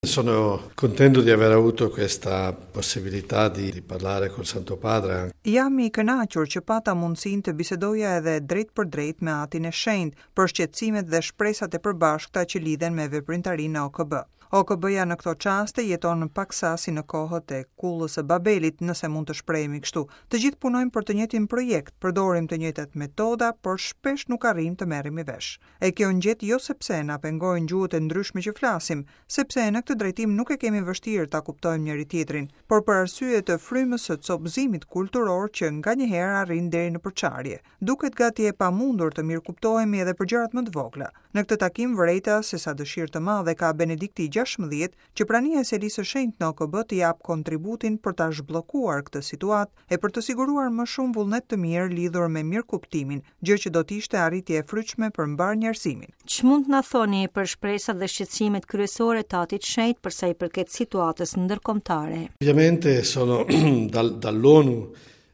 Sono contento di aver avuto questa possibilità di, di parlare col Santo Padre. Jam i kënaqur që pata mundësinë të bisedoja edhe drejtpërdrejt me Atin e Shenjtë për shqetësimet dhe shpresat e përbashkëta që lidhen me veprimtarinë në OKB. OKB-ja në këto çaste jeton paksa si në kohët e Kullës së Babelit, nëse mund të shprehemi kështu. Të gjithë punojmë për të njëjtin projekt, përdorim të njëjtat metoda, por shpesh nuk arrijmë të merremi vesh. E kjo ngjet jo sepse na pengojnë gjuhët e ndryshme që flasim, sepse në këtë drejtim nuk e kemi vështirë ta kuptojmë njëri-tjetrin, por për arsye të frymës së copëzimit kulturor që nganjëherë arrin deri në përçarje. Duket gati e pamundur të mirëkuptohemi edhe për gjërat më të vogla. Në këtë takim vërejta se sa dëshirë të madhe ka Benedikti i 16 që prania e Selisë së Shenjtë në OKB të japë kontributin për ta zhbllokuar këtë situatë e për të siguruar më shumë vullnet të mirë lidhur me mirëkuptimin, gjë që do të ishte arritje e frytshme për mbarë njerëzimin. Ç'mund të na thoni për shpresat dhe shqetësimet kryesore të Atit të Shenjtë për sa i përket situatës ndërkombëtare? Ovviamente sono dal, dall'ONU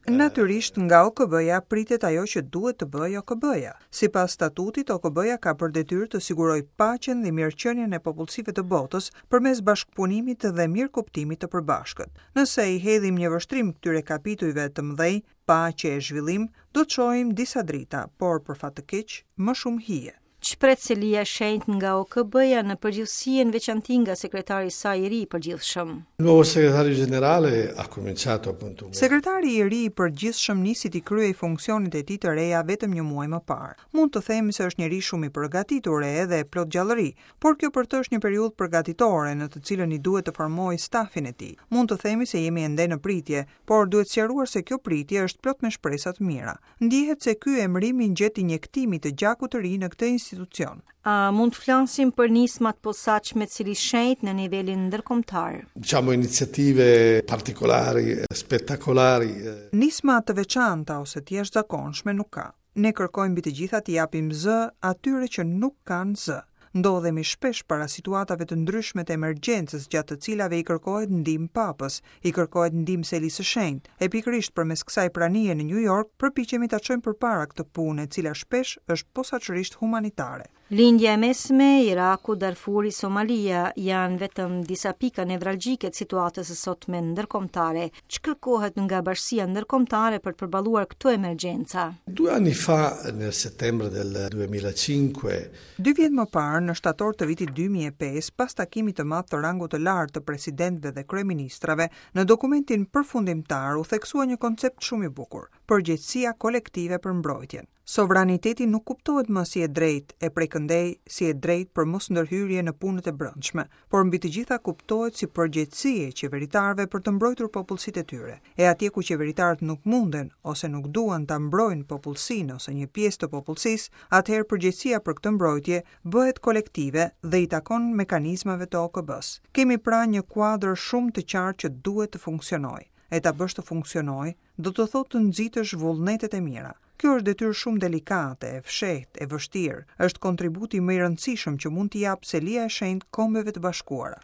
Natyrisht, nga OKB-ja pritet ajo që duhet të bëjë OKB-ja. Sipas statutit, OKB-ja ka për detyrë të sigurojë paqen dhe mirëqenien e popullsive të botës përmes bashkëpunimit dhe mirëkuptimit të përbashkët. Nëse i hedhim një vështrim këtyre kapitujve të mëdhenj, paqe e zhvillim, do të shohim disa drita, por për fat të keq, më shumë hije. Ç'pret Selia e Shenjtë nga OKB-ja në përgjithësi e në veçanti nga sekretari i saj i ri i përgjithshëm? Il nuovo segretario generale ha cominciato appunto. Sekretari i ri i përgjithshëm nisi t'i kryejë funksionet e tij të reja vetëm një muaj më parë. Mund të themi se është njeri shumë i përgatitur e edhe plot gjallëri, por kjo për të është një periudhë përgatitore në të cilën i duhet të formojë stafin e tij. Mund të themi se jemi ende në pritje, por duhet sqaruar se kjo pritje është plot me shpresa të mira. Ndjehet se ky emërim i ngjet injektimit të gjakut të ri në këtë institucion. A mund të flasim për nisma të posaçme të Selisë së Shenjtë në nivelin ndërkombëtar? Diciamo iniziative particolari, spettacolari. Nisma të veçanta ose të jashtëzakonshme nuk ka. Ne kërkojmë mbi të gjitha t'i japim zë atyre që nuk kanë zë. Ndodhemi shpesh para situatave të ndryshme të emergjencës gjatë të cilave i kërkohet ndihmë Papës, i kërkohet ndihmë Selisë së Shenjtë, e pikërisht përmes kësaj pranie në Nju Jork përpiqemi ta çojmë përpara këtë punë e cila shpesh është posaçërisht humanitare. Lindja e Mesme, Iraku, Darfuri, Somalia janë vetëm disa pika nevralgjike të situatës së sotme ndërkombëtare. Ç'kërkohet nga bashkësia ndërkombëtare për të përballuar këto emergjenca? Due anni fa, nel settembre del 2005, Dy vjet më parë, në shtator të vitit 2005, pas takimit të madh të rangut të lartë të presidentëve dhe kryeministrave, në dokumentin përfundimtar u theksua një koncept shumë i bukur, përgjegjësia kolektive për mbrojtjen. Sovraniteti nuk kuptohet më si e drejtë e prej këndej si e drejtë për mosndërhyrje në punët e brendshme, por mbi të gjitha kuptohet si përgjegjësi e qeveritarëve për të mbrojtur popullsitë e tyre. E atje ku qeveritarët nuk munden ose nuk duan ta mbrojnë popullsinë ose një pjesë të popullsisë, atëherë përgjegjësia për këtë mbrojtje bëhet kolektive dhe i takon mekanizmave të OKB-së. Kemi pra një kuadër shumë të qartë që duhet të funksionojë. E ta bësh të funksionojë, do të thotë të nxitësh vullnetet e mira. Kjo është detyrë shumë delikate, e fshehtë, e vështirë. Është kontributi më i rëndësishëm që mund t'i japë Selia e Shenjtë Kombeve të Bashkuara.